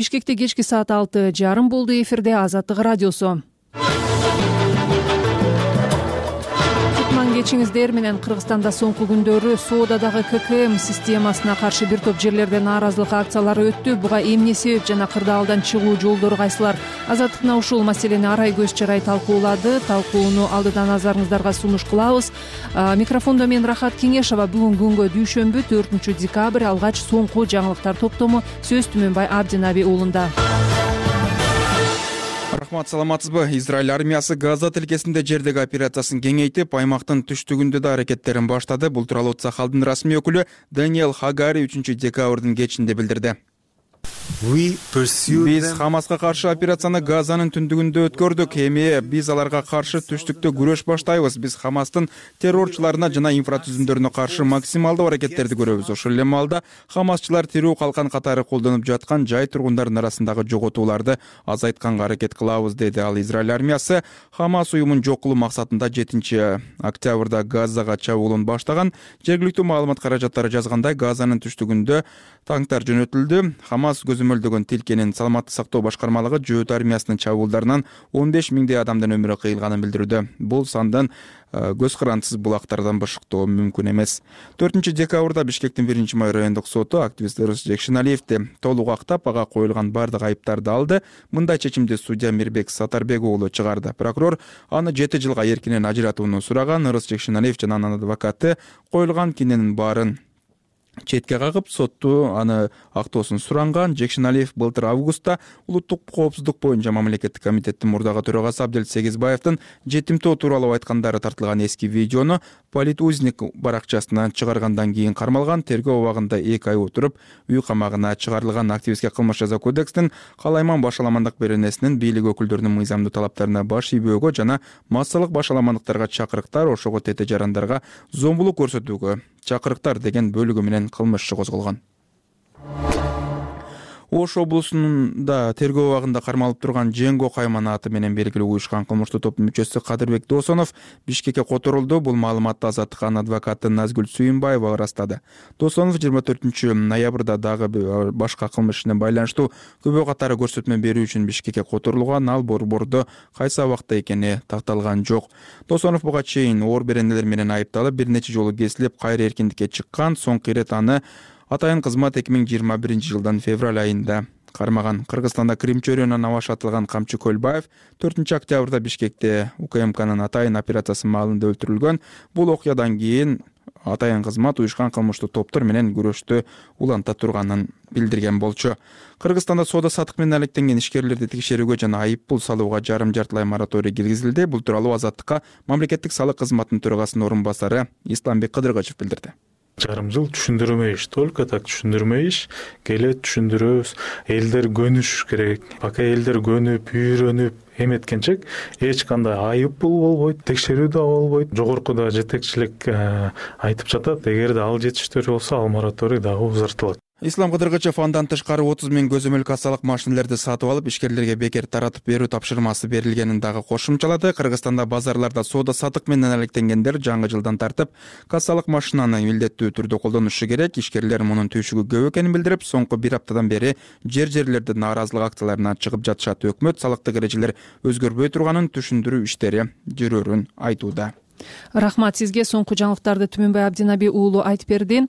Бишкекте кечки саат 6:30 болду. Эфирде Азаттык радиосу. Кечиңиздер менен Кыргызстанда соңку күндөрү соодадагы ККМ системасына каршы бир топ жерлерде нааразылык акциялары өттү. Буга эмне себеп жана кырдаалдан чыгуу жолдору кайсылар? Азаттыкна ушул маселени арай көз чарай талкуулады. Талкууну алдыдан назарыңыздарга сунуш кылабыз. Микрофондо мен Рахат Кеңешова. Бүгүн күнгө дүйшөмбү 4 декабрь алгач соңку жаңылыктар топтому сөз Түмөнбай Абдинаби уулунда. Рахмат, саламатсызбы? Израиль армиясы Газа тилкесинде жердеги операциясын кеңейтип, аймактын түштүгүндө да аракеттерин баштады. Бул тууралуу Цахалдын расмий өкүлү Даниэл Хагари 3 декабрдын кечинде билдирди. Биз Хамаска каршы операцияны Газанын түндүгүндө өткөрдүк. Эми биз аларга каршы түштүктө күрөш баштайбыз. Биз Хамастын террорчуларына жана инфратүзүмдөрүнө каршы максималдуу аракеттерди көрөбүз. Ошол эле маалда Хамасчылар тирүү калкан катары колдонуп жаткан жай тургундардын арасындагы жоготууларды азайтканга аракет кылабыз, деди ал. Израиль армиясы Хамас уюмун жок кылуу максатында 7 октябрда Газага чабуулун баштаган. Жергиликтүү маалымат каражаттары жазгандай, Газанын түштүгүндө танктар жөнөтүлдү. Хамас көзөмөлдөгөн тилкенин саламаттык сактоо башкармалыгы жөөт армиясынын чабуулдарынан 15 миңдей адамдын өмүрү кыйылганын билдирүүдө. Бул сандан көз карандысыз булактардан бышыктоо мүмкүн эмес. 4 декабрда Бишкектин 1-май райондук соту активист Рустем Шеналиевди толук актап, ага коюлган бардык айыптарды алды. Мындай чечимди судья Мирбек Сатарбек уулу чыгарды. Прокурор аны 7 жылга эркинен ажыратууну сураган. Рустем Шеналиев жана анын адвокаты коюлган киненин баарын четке кагып, сотту аны актоосун суранган. Жекшеналиев былтыр августта улуттук коопсуздук боюнча мамлекеттик комитеттин мурдагы төрагасы Абдел Сегизбаевдин жетимтөө тууралуу айткандары тартылган эски видеону Политузник баракчасынан чыгаргандан кийин кармалган. Тергөө убагында 2 ай отуруп, үй камагына чыгарылган. Активистке кылмыш жаза кодекстин калайман башаламандык беренесинин бийлик өкүлдөрүнүн мыйзамдуу талаптарына баш ийбөөгө жана массалык башаламандыктарга чакырыктар, ошого тете жарандарга зомбулук көрсөтүүгө чакырыктар деген бөлүгү менен кылмыш иши козголгон. Ош облусунда тергөө убагында кармалып турган Женго Кайман аты менен белгилүү уюшкан кылмыштуу топтун мүчөсү Кадырбек Досонов Бишкекке которулду. Бул маалыматты Азаттыктын адвокаты Назгүл Сүйүнбаева ырастады. Досонов 24 ноябрда дагы башка кылмыш ишине байланыштуу көбө катары көрсөтмө берүү үчүн Бишкекке которулган. Ал борбордо кайсы абакта экени такталган жок. Досонов буга чейин оор беренелер менен айыпталып, бир нече жолу кесилип, кайра эркиндикке чыккан. Соңку ирет аны атайын кызмат 2021 жылдын февраль айында кармаган. Кыргызстанда Крим чөйрөнүнөн аваш атылган Камчы Көлбаев 4 октябрда Бишкекте УКМКнын атайын операциясы маалында өлтүрүлгөн. Бул окуядан кийин атайын кызмат уюшкан кылмыштуу топтор менен күрөштү уланта турганын билдирген болчу. Кыргызстанда соода саттык менен алектенген ишкерлерди текшерүүгө жана айып пул салууга жарым-жартылай мораторий киргизилди. Бул тууралуу Азаттыкка мамлекеттик салык кызматынын төрагасынын орун басары Исламбек Кыдыргачев билдирди. Жарым жыл түшүндүрмө иш, только так түшүндүрмө иш, келет түшүндүрөбүз. Элдер көнүш керек. Пока элдер көнүп, үйрөнүп эметкенче эч кандай айып пул болбойт, текшерүү да болбойт. Жогоркуда жетекчилик айтып жатат, эгерде ал жетиштүү болсо, ал мораторий дагы узартылат. Ислам Кыдыргачев андан тышкары 30 миң көзөмөл кассалык машинелерди сатып алып, ишкерлерге бекер таратып берүү тапшырмасы берилгенин дагы кошумчалады. Кыргызстанда базарларда соода саттык менен алектенгендер жаңы жылдан тартып кассалык машинаны милдеттүү түрдө колдонушу керек. Ишкерлер мунун түйшүгү көп экенин билдирип, соңку 1 аптадан бери жер-жерлерде нааразылык акцияларына чыгып жатышат. Өкмөт салыктык эрежелер өзгөрбөй турганын, түшүндүрүү иштери жүрөрүн айтууда. Рахмат сизге. Соңку жаңылыктарды Түмөнбай Абдинаби уулу айтып берди.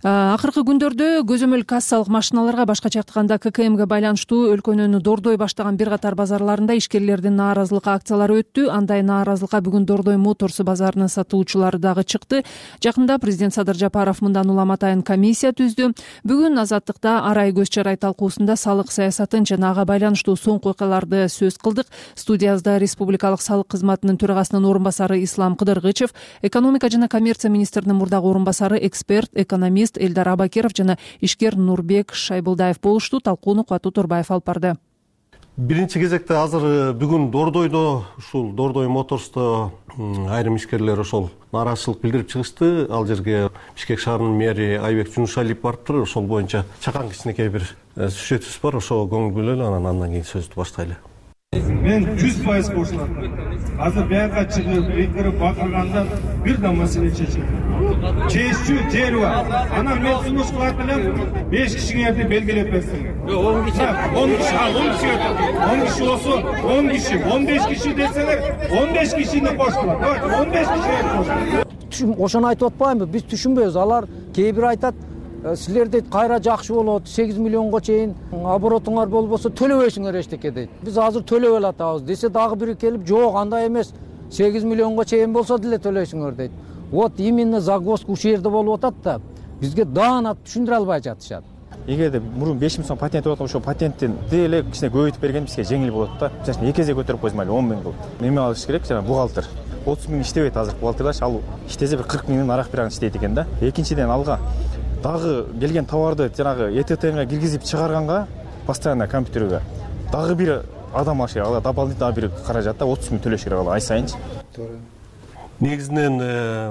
Акыркы күндөрдө көзөмөл кассалык машиналарга, башкача айтканда ККМге байланыштуу өлкөнүн Дордой баштаган бир катар базарларында ишкерлердин нааразылык акциялары өттү. Андай нааразылыкка бүгүн Дордой Моторс базарынын сатуучулары дагы чыкты. Жакында президент Садыр Жапаров мындан улам атайын комиссия түздү. Бүгүн Азаттыкта арай көз чарай талкуусунда салык саясатын жана ага байланыштуу соңку окуяларды сөз кылдык. Студиябызда Республикалык салык кызматынын төрагасынын орун басары Ислам Кыдыргычев, экономика жана коммерция министринин мурдагы орун басары, эксперт, экономист Элдар Абакиров жана ишкер Нурбек Шайбулдаев болушту. Талкууну Кубат Турбаев алып барды. Биринчи кезекте азыр бүгүн Дордойдо, ушул Дордой Моторсто айрым ишкерлер ошол нааразычылык билдирип чыгышты. Ал жерге Бишкек шаарынын мэри Айбек Жунушалиев барыптыр. Ошол боюнча чакан кичинекей бир сюжетибиз бар. Ошого көңүл бөлөлү, андан кийин сөздү баштайлы. Мен 100% кошулам. Азыр буяка чыгып, эйкирип бакырганда бир да маселе чечилди. чечүү жери бар. Анан мен сунуш кылат элем 5 кишиңерди белгилеп берсиң. 10 киши. 10 киши болсо 10 киши, 15 киши десеңер 15 кишини кошкула. 15 кишиге кошкула. Ошону айтып атпаймынбы? Биз түшүнбөйбүз. Алар кээ бир айтат, силер дейт кайра жакшы болот, 8 миллионго чейин оборотуңар болбосо төлөбөйсүңөр эчтеке дейт. Биз азыр төлөп элатабыз десе дагы бири келип, жок, андай эмес. 8 миллионго чейин болсо деле төлөйсүңөр дейт. Вот именно загвоздка ушул жерде болуп атат да. Бизге даана түшүндүрө албай жатышат. Эгерде мурун 5 миң сом патент болот, ошол патенттин деле кичине көбөйтүп берген бизге жеңил болот да. Мисалы 2 эсе көтөрүп койсо мейли 10 миң болот. Неме алыш керек, жана бухгалтер. 30 миң иштебейт азыр бухгалтерлар, ал иштесе бир 40 миңдин арак биран иштейт экен да. Экинчиден алга дагы келген товарды жанагы ЭТТга киргизип чыгарганга постоянно компьютерге дагы бир адам алыш керек. Ала дополнительно бир каражат да 30 миң төлөш керек ала ай сайынчы. Негизинен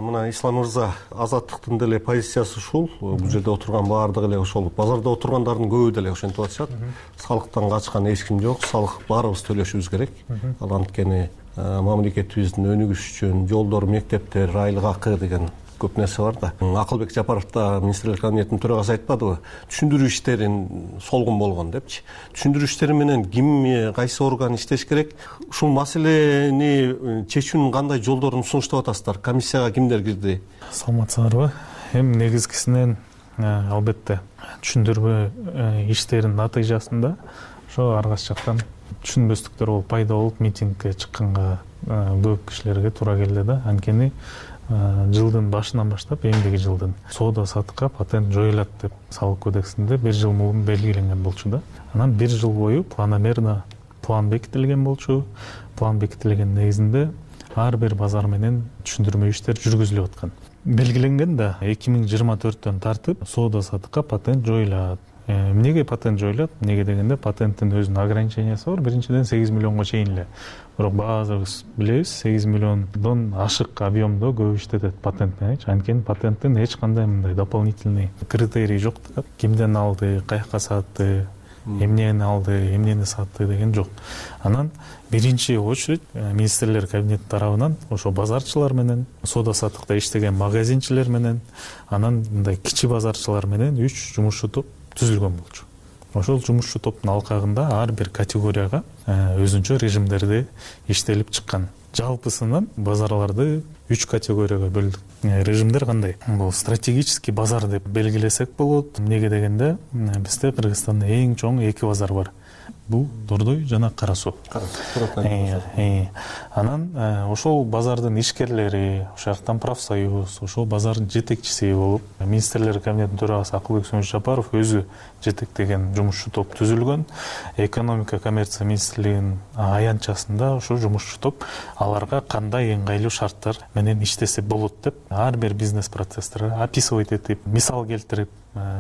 мына Ислам мырза азаттыктын деле позициясы ушул. Бул жерде отурган баардыгы эле ошол базарда отургандардын көбү деле ошентип атышат. Салыктан качкан эч ким жок. Салык баарыбыз төлөшүбүз керек. Ал анткени мамлекетибиздин өнүгүшү үчүн жолдор, мектептер, айлык акы деген көп нерсе бар да. Акылбек Жапаров да министрлер кабинетинин төрагасы айтпадыбы? Түшүндүрүү иштерин солгун болгон депчи. Түшүндүрүү иштери менен ким, кайсы орган иштеш керек? Ушул маселени чечүүнүн кандай жолдорун сунуштап атасыздар? Комиссияга кимдер кирди? Саламатсыздарбы? Эми негизгисинен албетте түшүндүрүү иштеринин натыйжасында ошо ар кайсы жактан түшүнбөстүктөр болуп пайда болуп митингге чыкканга көп кишилерге туура келди да. Анткени жылдын башынан баштап эмдиги жылдын соода саттыкка патент жоюлат деп салык кодексинде 1 жыл мурун белгиленген болчу да. Анан 1 жыл бою планомерно план бекитилген болчу. План бекитилген негизинде ар бир базар менен түшүндүрмө иштер жүргүзүлүп аткан. Белгиленген да 2024-төн тартып соода саттыкка патент жоюлат. Эмнеге патент жоюлат? Эмнеге дегенде патенттин өзүнүн ограничениясы бар. Биринчиден 8 миллионго чейин эле. Бирок баазыбыз билебиз, 8 миллиондон ашык объемдо көп иштетет патент менен. Анткени патенттин эч кандай мындай дополнительный критерий жок да. Кимден алды, каяка сатты, эмнени алды, эмнени сатты деген жок. Анан биринчи очередь министрлер кабинети тарабынан ошо базарчылар менен, соода саттыкта иштеген магазинчилер менен, анан мындай кичи базарчылар менен 3 жумушчу топ түзүлгөн болчу. Ошол жумушчу топтун алкагында ар бир категорияга өзүнчө режимдерди иштелип чыккан. Жалпысынан базарларды 3 категорияга бөлдүк. Режимдер кандай? Бул стратегический базар деп белгилесек болот. Эмнеге дегенде бизде Кыргызстанда эң чоң 2 базар бар. Бул Дордой жана Кара Суу. Анан ошол базардын ишкерлери, ошол жактан профсоюз, ошол базардын жетекчиси болуп, министрлер кабинетинин төрагасы Акылбек Жапаров өзү жетектеген жумушчу топ түзүлгөн. Экономика коммерция министрлигинин аянтчасында ошол жумушчу топ аларга кандай ыңгайлуу шарттар менен иштесе болот деп ар бир бизнес процесстерге описывать этип, мисал келтирип,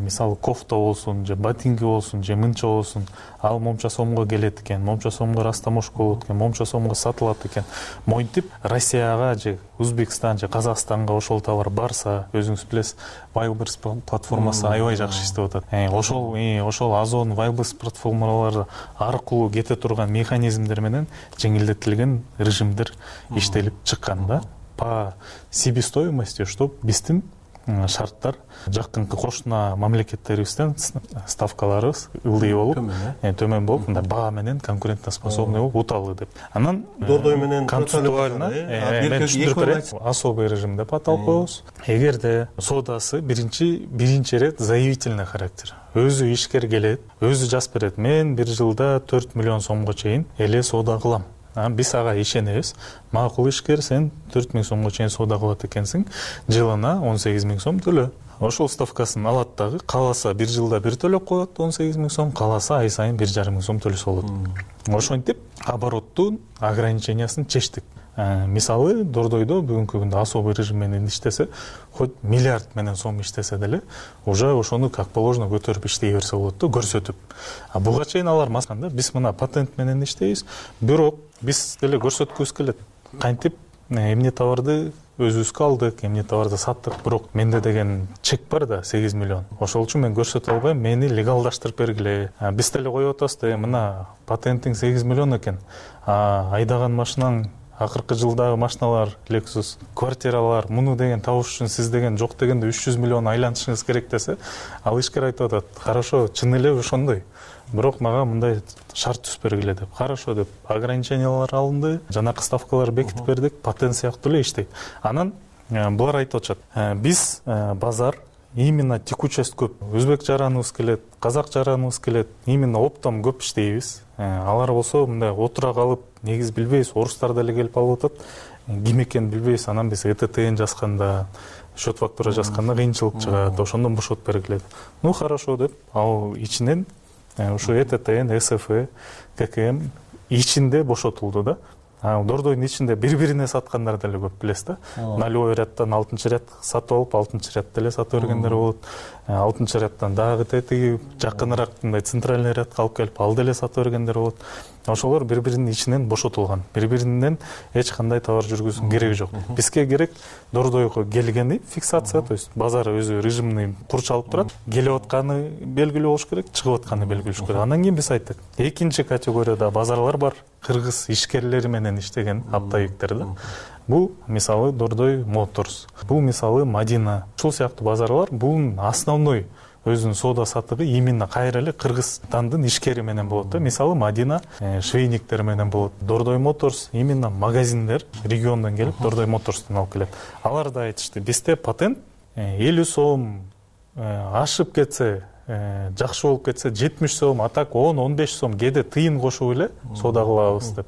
мисалы кофта болсун, же ботинки болсун, же мынча болсун, ал момча сомго келет экен, момча сомго растаможка болот экен, момча сомго сатылат экен. Монтип Россияга же Өзбекстан же Казакстанга ошол товар барса, өзүңүз билесиз, Wildberries платформасы аябай жакшы иштеп атат. Ошол Озон, Wildberries платформалары аркылуу кете турган механизмдер менен жеңилдетилген режимдер иштелип чыккан да. По себестоимости, что биздин шарттар жакынкы кошуна мамлекеттерибизден ставкаларыбыз ылдый болуп, төмөн болуп, мындай баа менен конкурентоспособный болуп уталы деп. Анан Дордой менен концептуально особый режим деп аталып коебуз. Эгерде соодасы биринчи рет заявительный характер. Өзү ишкер келет, өзү жазып берет. Мен 1 жылда 4 миллион сомго чейин эле соода кылам. Биз ага ишенебиз. Макул ишкер, сен 4 миң сомго чейин соода кылат экенсиң, жылына 18 миң сом төлө. Ошол ставкасын алат дагы, кааласа 1 жылда бир төлөп коет 18 миң сом, кааласа ай сайын 1,5 миң сом төлөсө болот. Ошентип обороттун ограничениясын чечтик. Мисалы Дордойдо бүгүнкү күндө особый режим менен иштесе, хоть миллиард менен сом иштесе деле, уже ошону как положено көтөрүп иштей берсе болот да, көрсөтүп. Буга чейин алар масканда биз мына патент менен иштейбиз, бирок биз деле көрсөткүбүз келет. Кантип эмне товарды өзүбүзгө алдык, эмне товарды саттык, бирок менде деген чек бар да 8 миллион. Ошол үчүн мен көрсөтө албайм, мени легалдаштырып бергиле. Биз деле коюп атабыз да, мына патентиң 8 миллион экен. Айдаган машинаң акыркы жылдагы машиналар, Lexus, квартиралар, муну деген табыш үчүн сиз деген жок дегенде 300 миллион айланышыңыз керек десе, ал ишкер айтып атат, хорошо, чын эле ошондой. Бирок мага мындай шарт түзүп бергиле деп. Хорошо деп ограничениялар алынды, жанакы ставкалар бекитип бердик, патент сыяктуу эле иштейт. Анан булар айтып атышат. Биз базар именно текучесть көп. Өзбек жараныбыз келет, казак жараныбыз келет. Именно оптом көп иштейбиз. Алар болсо мындай отура калып, негиз билбейбиз, орустар деле келип алып атат. Ким экенин билбейбиз. Анан биз ЭТТН жазганда, счет фактура жазганда кыйынчылык чыгат. Ошондон бошотуп бергиле. Ну хорошо деп, ал ичинен ушу ЭТТН, СФ, ККМ ичинде бошотулду да. Дордойдун ичинде бири-бирине саткандар деле көп билесиз да. Налевой рядтан 6-ряд сатып алып, 6-ряд деле сатып бергендер болот. 6-рядтан дагы тетиги жакыныраак мындай центральный рядка алып келип, ал деле сатып бергендер болот. Ошолор бири-биринин ичинен бошотулган. Бири-биринен эч кандай товар жүргүзүүнүн кереги жок. Бизге керек Дордойго келгени фиксация, то есть базар өзү режимный курчалып турат. Келип атканы белгилүү болуш керек, чыгып атканы белгилүү болуш керек. Андан кийин биз айттык, экинчи категорияда базарлар бар. Кыргыз ишкерлери менен иштеген оптовиктер да. Бул мисалы Дордой Моторс. Бул мисалы Мадина. Ушул сыяктуу базарлар бул основной өзүнүн соода сатыгы именно кайра эле Кыргызстандын ишкери менен болот да. Мисалы Мадина швейниктер менен болот. Дордой Моторс именно магазиндер региондон келип Дордой Моторстон алып келет. Алар да айтышты, бизде патент 50 сом ашып кетсе, жакшы болуп кетсе 70 сом, а так 10-15 сом кээде тыйын кошуп эле соода кылабыз деп.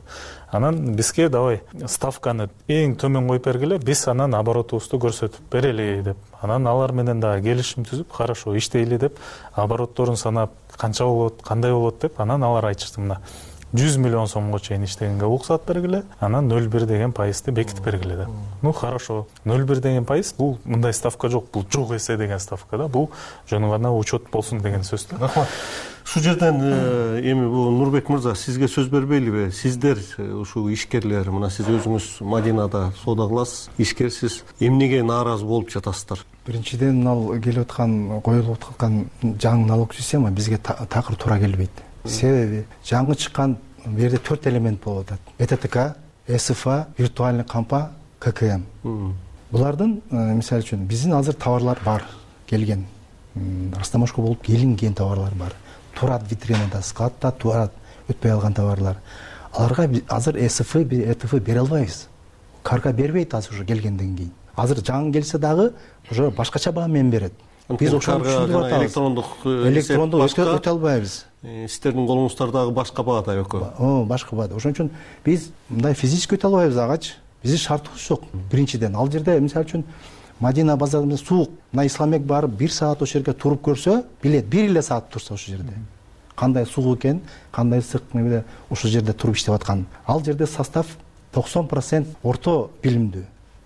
Анан бизге давай ставканы эң төмөн коюп бергиле, биз анан оборотубузду көрсөтүп берели деп. Анан алар менен дагы келишим түзүп, хорошо иштейли деп, оборотторун санап, канча болот, кандай болот деп, анан алар айтышты, мына 100 миллион сомго чейин иштегенге уруксат бергиле, анан 0,1 деген пайызды бекитип бергиле деп. Ну хорошо, 0,1 деген пайыз, бул мындай ставка жок, бул жок эсе деген ставка да, бул жөн гана учет болсун деген сөз да. Рахмат. Ушул жерден эми бул Нурбек мырза, сизге сөз бербейлиби? Сиздер ушул ишкерлер, мына сиз өзүңүз Мадинада соода кыласыз, ишкерсиз, эмнеге нааразы болуп жатасыздар? Биринчиден, мына келип аткан, коюлуп аткан жаңы налог система бизге такыр туура келбейт. Себеби жаңы чыккан бул жерде 4 элемент болуп атат. ЭТТК, СФА, виртуальный кампа, ККМ. Булардын мисалы үчүн биздин азыр товарлар бар, келген. Растамашка болуп келинген товарлар бар. Турат витринада, складта турат, өтпөй алган товарлар. Аларга азыр СФ, ЭТФ бере албайбыз. Карга бербейт азыр уже келгенден кийин. Азыр жаңы келсе дагы уже башкача баа менен берет. Биз ошону түшүндүрүп атабыз. Электрондук өтө албайбыз. Сиздердин колуңуздардагы башка баада экөө. Башка баада. Ошон үчүн биз мындай физически өтө албайбыз агачы. Биздин шартыбыз жок. Биринчиден, ал жерде мисалы үчүн Мадина базарында суук, мына Исламбек барып 1 саат ошол жерге туруп көрсө, билет 1 эле саат турса ошол жерде. Кандай суук экен, кандай ысык мебе ошол жерде туруп иштеп аткан. Ал жерде состав 90% орто билимдүү.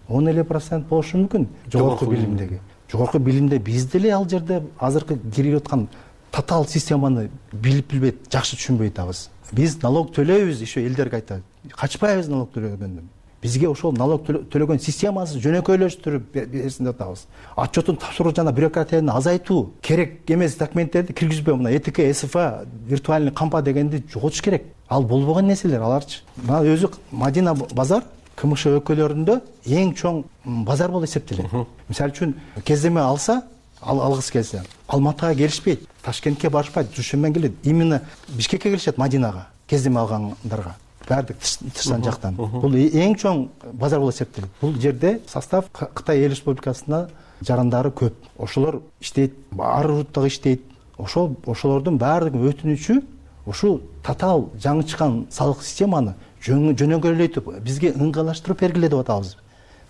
10% болушу мүмкүн жогорку билимдеги. Жогорку билимде биз деле ал жерде азыркы кирип аткан татаал системаны билип билбейт, жакшы түшүнбөй атабыз. Биз налог төлөйбүз, ишо элдерге айтат. Качпайбыз налог төлөгөндөн. Бизге ошол налог төлөгөн системасы жөнөкөйлөштүрүп берсин деп атабыз. Отчетун тапшыруу жана бюрократияны азайтуу, керек эмес документтерди киргизбөө, мына ЭТК, СФА, виртуальный кампа дегенди жоготуш керек. Ал болбогон нерселер аларчы. Мына өзү Мадина базар КМШ өлкөлөрүндө эң чоң базар болуп эсептелет. Мисалы үчүн кездеме алса, алгысы келсе, Алматыга келишпейт, Ташкентке барышпайт, Душанбеге келет. Именно Бишкекке келишет, Мадинага, кездеме алгандарга. Бардык тышкан жактан. Бул эң чоң базар болуп эсептелет. Бул жерде состав Кытай Эл Республикасына жарандары көп. Ошолор иштейт, ар руттагы иштейт. Ошолордун баардыгы өтүнүчү ушул татаал жаңы чыккан салык системаны жөнөкөйлөйтүп, бизге ыңгайлаштырып бергиле деп атабыз.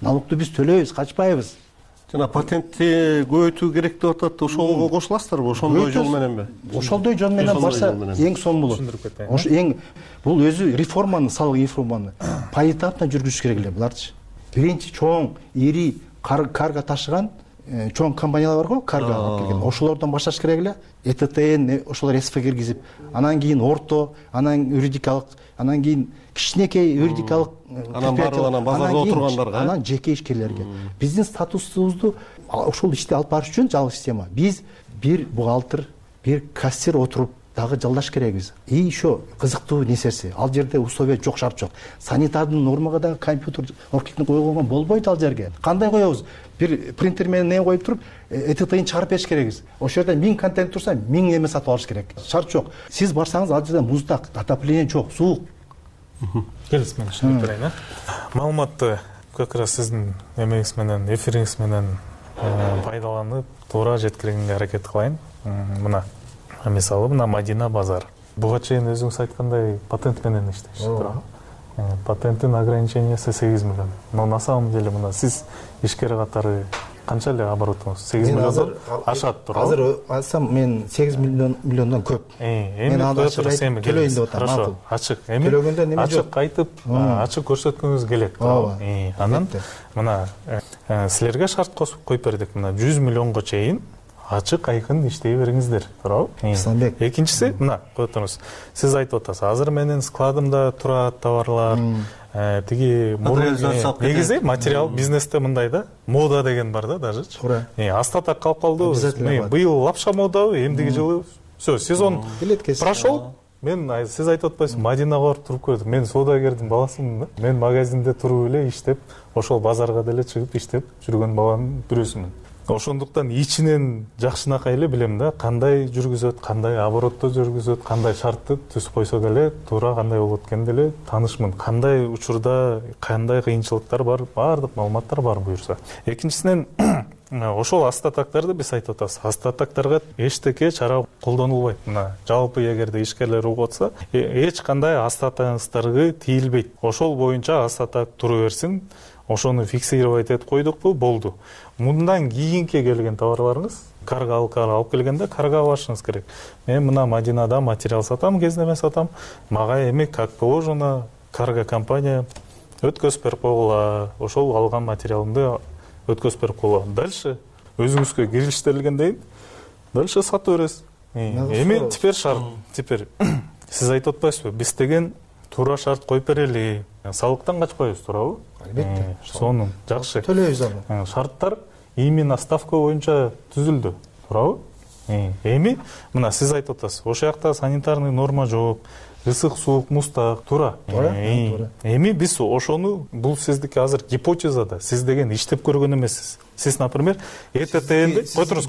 Налогду биз төлөйбүз, качпайбыз. Жана патентти көбөйтүү керек деп атат. Ошого кошуласыздарбы? Ошондой жол мененби? Ошондой жол менен барса эң сонун болот. Ошо эң бул өзү реформаны, салык реформаны поэтапно жүргүзүш керек эле буларчы. Биринчи чоң, ири карга ташыган чоң компаниялар бар го, карга алып келген. Ошолордон башташ керек эле. ЭТТН ошолор СФ киргизип, анан кийин орто, анан юридикалык, анан кийин кичинекей юридикалык, анан баарынан базарда отургандарга, анан жеке ишкерлерге. Биздин статусубузду ошол ишти алып барыш үчүн жаңы система. Биз бир бухгалтер, бир кассир отуруп дагы жалдаш керекбиз. И еще кызыктуу нерсеси, ал жерде условия жок, шарт жок. Санитардын нормага дагы компьютер оркиктин койгонго болбойт ал жерге. Кандай коебуз? Бир принтер менен не коюп туруп, ЭТТ-ин чыгарып бериш керекбиз. Ошол жерде 1000 контент турса, 1000 эме сатып алыш керек. Шарт жок. Сиз барсаңыз ал жерде муздак, отопление жок, суук. Келиңиз, мен түшүнүп берейин. Маалыматты как раз сиздин эмеңиз менен, эфириңиз менен пайдаланып, туура жеткиргенге аракет кылайын. Мына мисалы, мына Мадина базар. Буга чейин өзүңүз айткандай патент менен иштейсиз, туурабы? Патенттин ограничениясы 8 миллион. Но на самом деле мына сиз ишкер катары канча эле оборотуңуз? 8 миллиондон ашат, туурабы? Азыр айтсам мен 8 миллиондон көп. Мен аны төлөйүн деп атам. Хорошо, ачык. Эми төлөгөндө неме жок? Ачык айтып, ачык көрсөткүңүз келет, туурабы? Анан мына силерге шарт коюп бердик. Мына 100 миллионго чейин ачык айкын иштей бериңиздер, туурабы? Исламбек. Экинчиси, мына коюп туруңуз. Сиз айтып атасыз, азыр менин складымда турат товарлар, тиги негизи материал бизнесте мындай да, мода деген бар да даже. Астатак калып калды. Быйыл лапша модабы, эмдиги жылы всё, сезон прошел. Мен сиз айтып атпайсызбы, Мадинага барып туруп көрдүм. Мен соодагердин баласымын да. Мен магазинде туруп эле иштеп, ошол базарга деле чыгып иштеп жүргөн баланын бирөөсүмүн. Ошондуктан ичинен жакшынакай эле билем да, кандай жүргүзөт, кандай оборотто жүргүзөт, кандай шартты түзүп койсок эле туура кандай болот экенин деле таанышмын. Кандай учурда кандай кыйынчылыктар бар, баардык маалыматтар бар буюрса. Экинчисинен ошол астатактарды биз айтып атабыз. Астатактарга эчтеке чара колдонулбайт. Мына жалпы эгерде ишкерлер угуп атса, эч кандай астатаңыздарга тийилбейт. Ошол боюнча астатак тура берсин. Ошону фиксировать этип койдукпу, болду. Мындан кийинки келген товарларыңыз, карга алып келгенде карга башыңыз керек. Мен мына Мадинада материал сатам, кездеме сатам. Мага эми как положено карга компания өткөзүп берип койгула. Ошол алган материалымды өткөзүп берип койгула. Дальше өзүңүзгө кирилиштирилгенден кийин дальше сатып бересиз. Эми теперь шарт. Теперь сиз айтып атпайсызбы? Биз деген туура шарт коюп берели. Салыктан качпайбыз, туурабы? Албетте. Сонун жакшы. Төлөйбүз аны. Шарттар именно ставка боюнча түзүлдү, туурабы? Эми мына сиз айтып атасыз, ошол жакта санитарный норма жок, ысык суук муздак, туура. Эми биз ошону, бул сиздики азыр гипотеза да, сиз деген иштеп көргөн эмессиз. Сиз, например, ЭТТНди котуруңуз.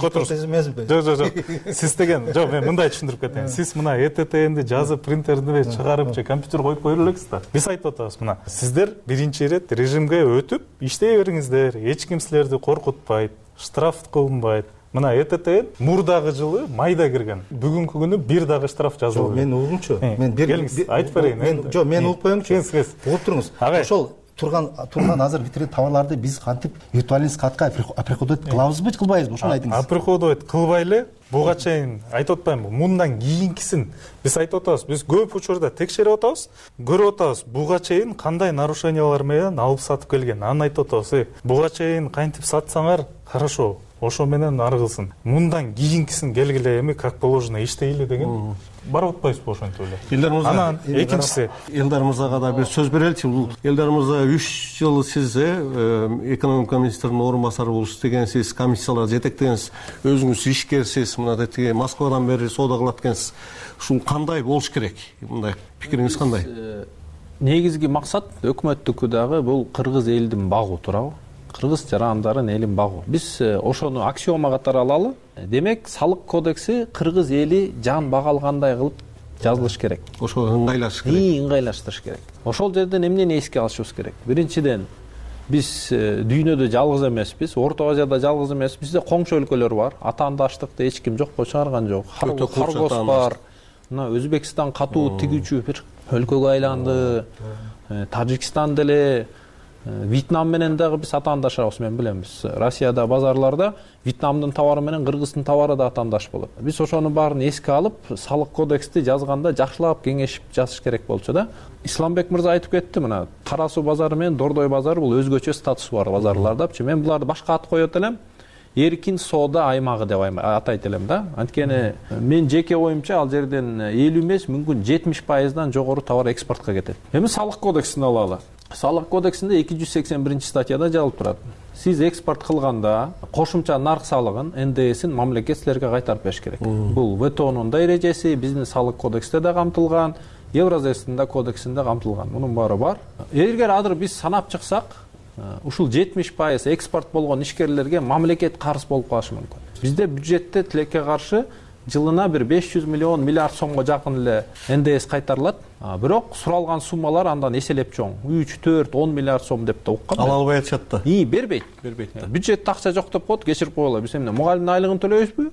Жок. Сиз деген, жок, мен мындай түшүндүрүп кетейин. Сиз мына ЭТТНди жазып, принтерди чыгарып, же компьютер коюп койо элексиз да. Биз айтып атабыз, мына сиздер биринчи ирет режимге өтүп, иштей бериңиздер. Эч ким силерди коркутпайт, штраф кылынбайт. Мына ЭТТН мурдагы жылы майда кирген. Бүгүнкү күнү бир дагы штраф жазылды. Мен угумчу. Мен келиңиз, айтып берейин. Жок, мен угуп коеюңчу. Угуп туруңуз. Ошол турган азыр витрин товарларды биз кантип виртуальный складка оприходовать кылабызбы, кылбайбызбы? Ошону айтыңыз. Оприходовать кылбай эле буга чейин айтып атпаймынбы? Мындан кийинкисин биз айтып атабыз. Биз көп учурда текшерип атабыз, көрүп атабыз. Буга чейин кандай нарушениялар менен алып сатып келген. Аны айтып атабыз. Буга чейин кантип сатсаңар, хорошо. Ошо менен аргылсын. Мындан кийинкисин келгиле, эми как положено иштейли деген барып атпайсызбы ошентип эле? Элдар мырза, анан экинчиси Элдар мырзага да бир сөз береличи. Бул Элдар мырза 3 жыл сиз экономика министринин орун басары болуп иштегенсиз, комиссиялар жетектегенсиз, өзүңүз ишкерсиз, мына тиги Москвадан бери соода кылат экенсиз. Ушул кандай болуш керек? Мындай пикириңиз кандай? Негизги максат өкмөттүкү дагы бул кыргыз элдин багуу, туурабы? Кыргыз жарандарын элин багуу. Биз ошону аксиома катары алалы. Демек, салык кодекси кыргыз эли жан бага алгандай кылып жазылыш керек. Ошо ыңгайлаш керек. Ыңгайлаштырыш керек. Ошол жерден эмнени эске алышыбыз керек? Биринчиден, биз дүйнөдө жалгыз эмеспиз, Орто Азияда жалгыз эмеспиз. Бизде коңшу өлкөлөр бар. Атаандаштыкты эч ким жокко чыгарган жок. Харгос бар. Мына Өзбекстан катуу тигүүчү бир өлкөгө айланды. Тажикстан деле, Вьетнам менен дагы биз атаандашабыз, мен билем. Биз Россияда базарларда Вьетнамдын товары менен Кыргыздын товары да атаандаш болот. Биз ошонун баарын эске алып, салык кодексти жазганда жакшылап кеңешип жазыш керек болчу да. Исламбек мырза айтып кетти, мына Кара суу базары менен Дордой базары бул өзгөчө статусу бар базарлардапчы. Мен буларды башка ат коет элем. Эркин соода аймагы деп атайт элем да. Анткени мен жеке оюмча ал жерден 50 эмес, мүмкүн 70%дан жогору товар экспортко кетет. Эми салык кодексин алалы. Салык кодексинде 281 статьяда жазылып турат. сиз экспорт кылганда кошумча нарк салыгын, НДСин мамлекет силерге кайтарып бериш керек. Бул ВТОнун да эрежеси, биздин салык кодексте да камтылган, Евразиянын да кодексинде камтылган. Мунун баары бар. Эгер азыр биз санап чыксак, ушул 70% экспорт болгон ишкерлерге мамлекет карыз болуп калышы мүмкүн. Бизде бюджетте тилекке каршы жылына бир 500 миллион миллиард сомго жакын эле НДС кайтарылат. Бирок суралган суммалар андан эселеп чоң. 3, 4, 10 миллиард сом деп да уккан. Ала албай атышат да. Бербейт. Бюджетте акча жок деп коет, кечирип койгула. Биз эмне мугалимдин айлыгын төлөйбүзбү?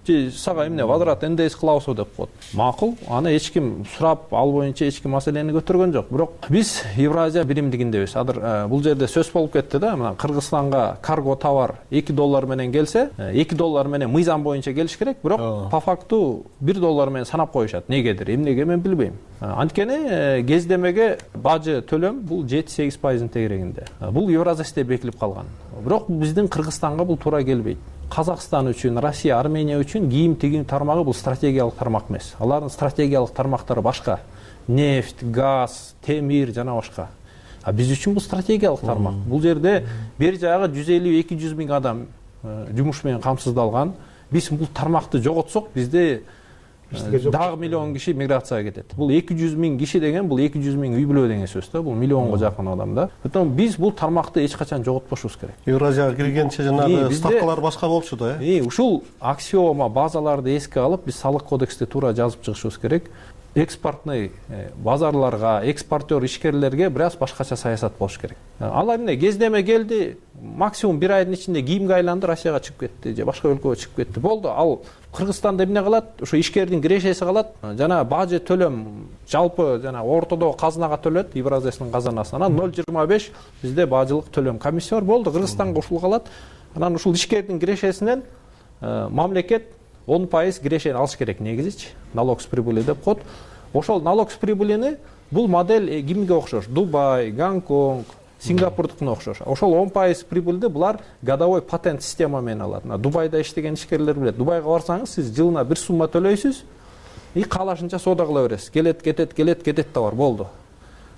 Же сага эмне возврат НДС кылабызбы деп коет. Макул, аны эч ким сурап, ал боюнча эч ким маселени көтөргөн жок. Бирок биз Евразия биримдигиндебиз. Азыр бул жерде сөз болуп кетти да, мына Кыргызстанга карго товар $2 менен келсе, $2 менен мыйзам боюнча келиш керек, бирок по факту $1 менен санап коюшат. Негедир, эмнеге мен билбейм. Анткени кездемеге бажы төлөм бул 7-8% тегерегинде. Бул Евразияда бекилип калган. Бирок биздин Кыргызстанга бул туура келбейт. Казакстан үчүн, Россия, Армения үчүн кийим тигин тармагы бул стратегиялык тармак эмес. Алардын стратегиялык тармактары башка. Нефть, газ, темир жана башка. Биз үчүн бул стратегиялык тармак. Бул жерде бер жагы 150-200 миң адам жумуш менен камсыздалган. Биз бул тармакты жоготсок, бизде дагы миллион киши миграцияга кетет. Бул 200 миң киши деген, бул 200 миң үй бүлө деген сөз да. Бул миллионго жакын адам да. Поэтому биз бул тармакты эч качан жоготпошубуз керек. Евразияга киргенче жанагы ставкалар башка болчу да, Ушул аксиома базаларды эске алып, биз салык кодексте туура жазып чыгышыбыз керек. Экспортный базарларга, экспортер ишкерлерге бир аз башкача саясат болуш керек. Алар эмне кездеме келди, максимум бир айдын ичинде кийимге айланды, Россияга чыгып кетти же башка өлкөгө чыгып кетти. Болду. Ал Кыргызстанда эмне кылат? Ошо ишкердин кирешеси калат. Жана бажы төлөм жалпы жана ортодо казынага төлөт, Евразиянын казынасына 0,25 бизде бажылык төлөм комиссия бар. Болду. Кыргызстанга ушул калат. Анан ушул ишкердин кирешесинен мамлекет 10% кирешени алыш керек негизичи. Налог с прибыли деп коет. Ошол налог с прибылини бул модель кимге окшош? Дубай, Гонконг, Сингапурдукуна окшош. Ошол 10% прибыльди булар годовой патент система менен алат. Дубайда иштеген ишкерлер билет. Дубайга барсаңыз, сиз жылына бир сумма төлөйсүз, каалашынча соода кыла бересиз. Келет да бар, болду.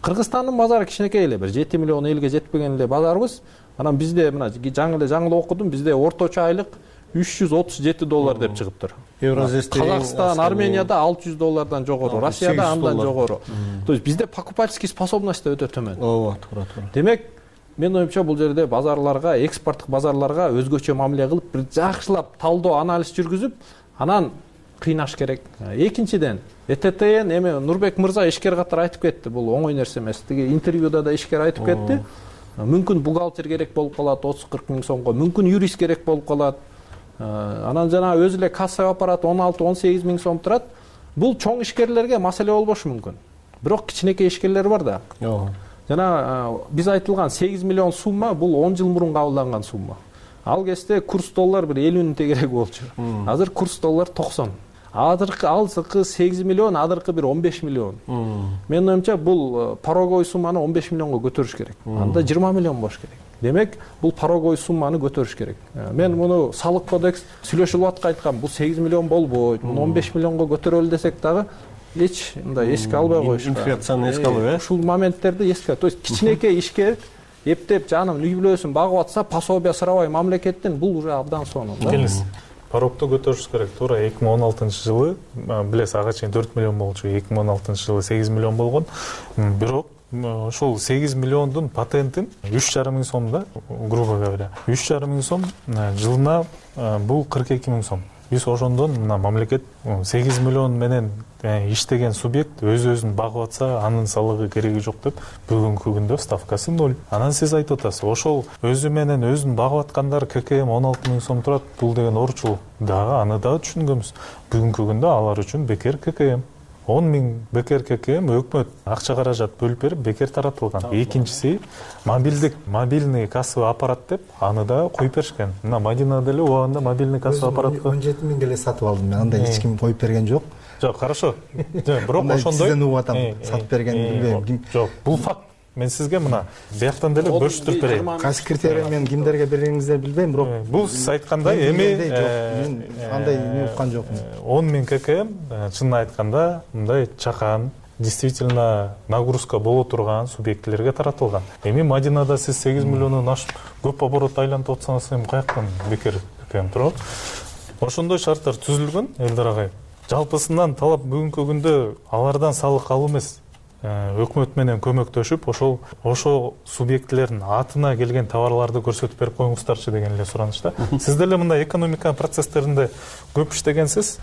Кыргызстандын базары кичинекей эле, бир 7 миллион элге жетпеген эле базарыбыз. Анан бизде мына жаңы окудум, бизде орточо айлык $337 деп чыгыптыр. Казакстан, Арменияда $600 жогору, Россияда андан жогору. То есть бизде покупательский способность да өтө төмөн. Туура. Демек, мен оюмча бул жерде базарларга, экспорттук базарларга өзгөчө мамиле кылып, бир жакшылап талдоо, анализ жүргүзүп, анан кыйнаш керек. Экинчиден, ЭТТН эми Нурбек мырза ишкер катары айтып кетти, бул оңой нерсе эмес. Тиги интервьюда да ишкер айтып кетти. Мүмкүн бухгалтер керек болуп калат 30-40 миң сомго, мүмкүн юрист керек болуп калат. Анан жана өзү эле кассага аппарат 16-18 миң сом турат. Бул чоң ишкерлерге маселе болбошу мүмкүн. Бирок кичинекей ишкерлер бар да. Жана биз айтылган 8 миллион сумма бул 10 жыл мурун кабылданган сумма. Ал кезде курс доллар бир 50-нин тегереги болчу. Азыр курс доллар 90. Алсыкы 8 миллион, адыркы бир 15 миллион. Мен оюмча бул пороговый сумманы 15 миллионго көтөрүш керек. Анда 20 миллион болуш керек. Демек, бул пороговый сумманы көтөрүш керек. Мен муну салык кодекс сүйлөшүп аткан айткам, бул 8 миллион болбойт, муну 15 миллионго көтөрөлү десек дагы эч мындай эске албай коюш. Инфляцияны эске алып, ушул моменттерди эске. То есть кичинекей ишкер эптеп жанын үй бүлөсүн багып атса, пособия сурабай мамлекеттен бул уже абдан сонун да. Келиңиз. Порогду көтөрүш керек. Туура 2016-жылы билесиз, ага чейин 4 миллион болчу, 2016-жылы 8 миллион болгон. Бирок ошол 8 миллиондун патентин 3,5 миң сом да, грубо говоря. 3,5 миң сом жылына бул 42 миң сом. Биз ошондон мына мамлекет 8 миллион менен иштеген субъект өзүн багып атса, анын салыгы кереги жок деп бүгүнкү күндө ставкасы 0. Анан сиз айтып атасыз, ошол өзү менен өзүн багып аткандар ККМ 16 миң сом турат. Бул деген орчул. Дагы аны дагы түшүнгөнбүз. Бүгүнкү күндө алар үчүн бекер ККМ. 10 миң бекер ККМ өкмөт акча каражат бөлүп берип бекер таратылган. Экинчиси мобильный кассовый аппарат деп аны да коюп беришкен. Мына Мадинада эле убагында мобильный кассовый аппаратты 17 миңге эле сатып алдым мен. Андай эч ким коюп берген жок. Жок, хорошо. Бирок ошондой сизден угуп атам, сатып берген билбейм. Жок, бул факт. Мен сизге мына бияктан деле бөлүштүрүп берейин. Кайсы критерий менен кимдерге бергениңизди билбейм, бирок бул сиз айткандай эми андай эмне уккан жокмун. 10 миң ККМ чынын айтканда мындай чакан, действительно нагрузка боло турган субъектилерге таратылган. Эми Мадинада сиз 8 миллиондон ашып көп оборот айлантып атсаңыз, эми каяктан бекер турат? Ошондой шарттар түзүлгөн, Элдар агай. Жалпысынан талап бүгүнкү күндө алардан салык алуу эмес, өкмөт менен көмөктөшүп, ошол субъектилердин атына келген товарларды көрсөтүп берип коюңуздарчы деген эле суранычта. Сиз деле мындай экономика процесстеринде көп иштегенсиз.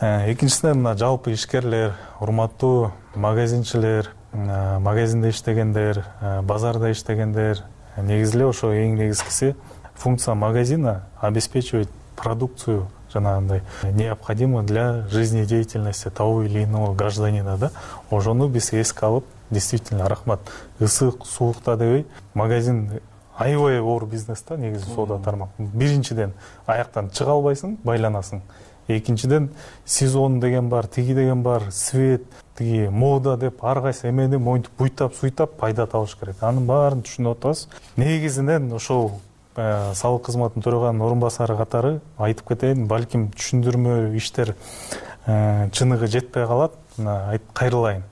Экинчисинен мына жалпы ишкерлер, урматтуу магазинчилер, магазинде иштегендер, базарда иштегендер, негизи эле ошо эң негизгиси функция магазина обеспечивать продукцию жанагындай необходимо для жизнедеятельности того или иного гражданина, да. Ошону биз эске алып, действительно рахмат. Ысык, суукта дебей, магазин аябай оор бизнес да, негизи соода тармак. Биринчиден аяктан чыга албайсың, байланасың. Экинчиден сезон деген бар, тиги деген бар, свет, тиги мода деп ар кайсы эмени моинтип буйтап, суйтап пайда табыш керек. Анын баарын түшүнүп атабыз. Негизинен ошол салык кызматынын төрагасынын орун басары катары айтып кетейин, балким түшүндүрмө иштер чыныгы жетпей калат. Кайрылайын.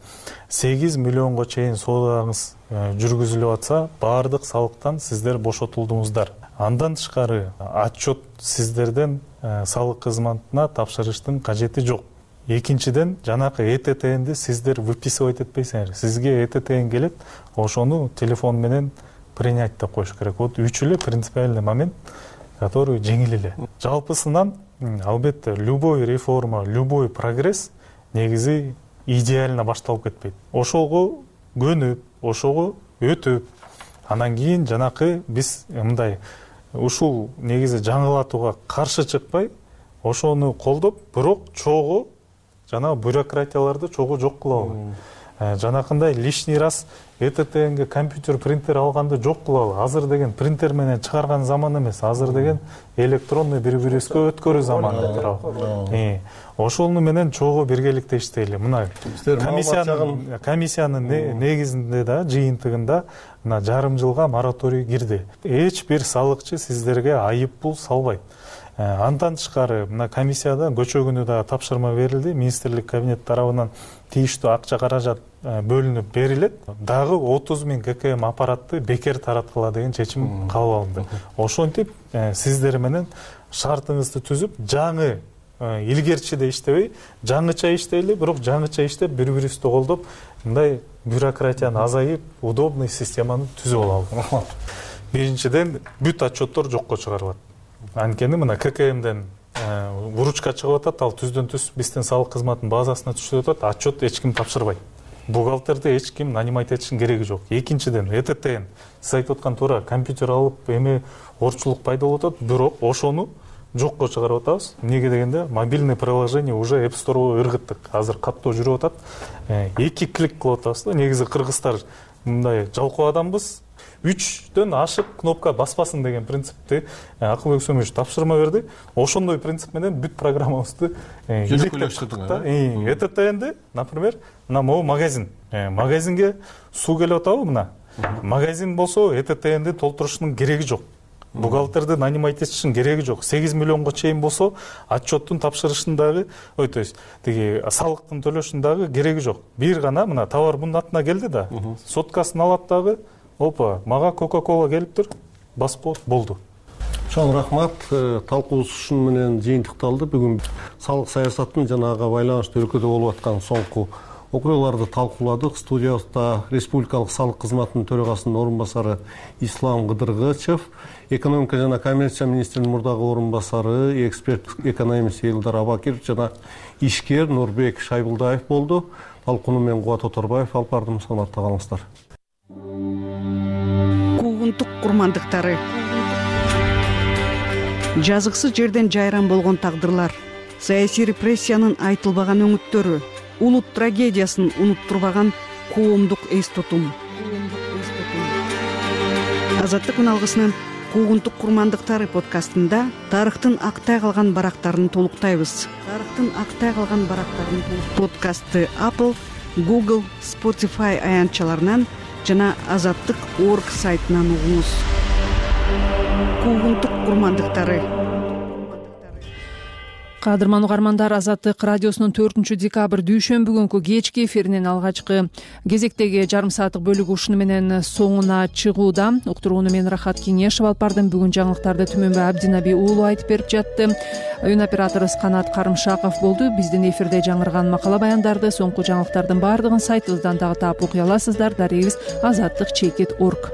8 миллионго чейин соодаңыз жүргүзүлүп атса, баардык салыктан сиздер бошотулдуңуздар. Андан тышкары отчет сиздерден салык кызматына тапшырыштын кажети жок. Экинчиден, жанакы ЭТТНди сиздер выписывать этпейсиңер. Сизге ЭТТН келет, ошону телефон менен принять деп коюш керек. Вот үч эле принципиальный момент, который жеңил эле. Жалпысынан, албетте, любой реформа, любой прогресс негизи идеально башталып кетпейт. Ошого көнүп, ошого өтүп, анан кийин жанакы биз мындай ушул негизи жаңылатууга каршы чыкпай, ошону колдоп, бирок чогуу жана бюрократияларды чогуу жок кылалы. Жанакындай лишний раз ЭТТНге компьютер, принтер алганды жок кылалы. Азыр деген принтер менен чыгарган заман эмес. Азыр деген электронный бири-бирибизге өткөрүү заманы турабы. Ошону менен чогуу биргеликте иштейли. Мына комиссиянын негизинде да, жыйынтыгында мына жарым жылга мораторий кирди. Эч бир салыкчы сиздерге айып пул салбайт. Андан тышкары мына комиссияда көчө күнү да тапшырма берилди. Министрлик кабинет тарабынан тийиштүү акча каражат бөлүнүп берилет. Дагы 30 000 ККМ аппаратты бекер тараткыла деген чечим кабыл алынды. Ошентип сиздер менен шартыңызды түзүп, жаңы илгерчиде иштебей, жаңыча иштейли, бирок жаңыча иштеп, бири-бирибизди колдоп, мындай бюрократияны азайып, удобный системаны түзүп алалы. Биринчиден, бүт отчеттор жокко чыгарылат. Анткени мына ККМден выручка чыгып атат, ал түздөн-түз биздин салык кызматынын базасына түшүп атат, отчет эч ким тапшырбайт. Бухгалтерди эч ким нанимать этиштин кереги жок. Экинчиден, ЭТТН, сиз айтып аткан туура, компьютер алып, эми орчулук пайда болуп атат, бирок ошону жокко чыгарып атабыз. Эмнеге дегенде, мобильный приложение уже App Store'го ыргыттык. Азыр каттоо жүрүп атат. 2 клик кылып атабыз да. Негизи кыргыздар мындай жалкоо адамбыз. 3дөн ашык кнопка баспасын деген принципти Акылбек Сөмөш тапшырма берди. Ошондой принцип менен бүт программабызды илектиrdик да. ЭТТНди, например, мына могу магазин. Магазинге суу келип атабы мына. Магазин болсо ЭТТНди толтурушунун кереги жок. Бухгалтерди нанимать этиштин кереги жок. 8 миллионго чейин болсо отчеттун тапшырышындагы, то есть тиги салыктын төлөшүндагы кереги жок. Бир гана мына товар мунун атына келди да, соткасын алат дагы, опа, мага Coca-Cola келиптир, басып болду. Чоң рахмат. Талкуубуз ушун менен жыйынтыкталды. Бүгүн салык саясатынын жанага байланыштуу өлкөдө болуп аткан соңку окуяларды талкууладык. Студиябызда Республикалык салык кызматынын төрагасынын орун басары Ислам Кыдыргычев, экономика жана коммерция министринин мурдагы орун басары, эксперт экономист Элдар Абакиров жана ишкер Нурбек Шайбулдаев болду. Талкууну мен Кубат Оторбаев алып бардым. Саламатта калыңыздар. Куугунтук курмандыктары. Жазыксыз жерден жайран болгон тагдырлар, саясий репрессиянын айтылбаган өңүттөрү, улут трагедиясын унуттурбаган коомдук эс тутум. Азаттык үналгысынын Куугунтук курмандыктары подкастында тарыхтын актай калган барактарын толуктайбыз. Подкастты Apple, Google, Spotify аянтчаларынан жана Азаттык.org сайтынан угуңуз. Куугунтук курмандыктары. Кадырман угармандар, Азаттык радиосунун 4-декабрь дүйшөмбү күнкү кечки эфиринин алгачкы кезектеги жарым сааттык бөлүгү ушуну менен соңуна чыгууда. Уктурууну мен Рахат Кеңешев алып бардым. Бүгүн жаңылыктарды Түмөнбай Абдинаби уулу айтып берип жатты. Үн операторубуз Канат Карымшаков болду. Биздин эфирде жаңырган макала баяндарды, соңку жаңылыктардын баардыгын сайтыбыздан дагы таап окуй аласыздар. Дарегибиз azatlyk.org.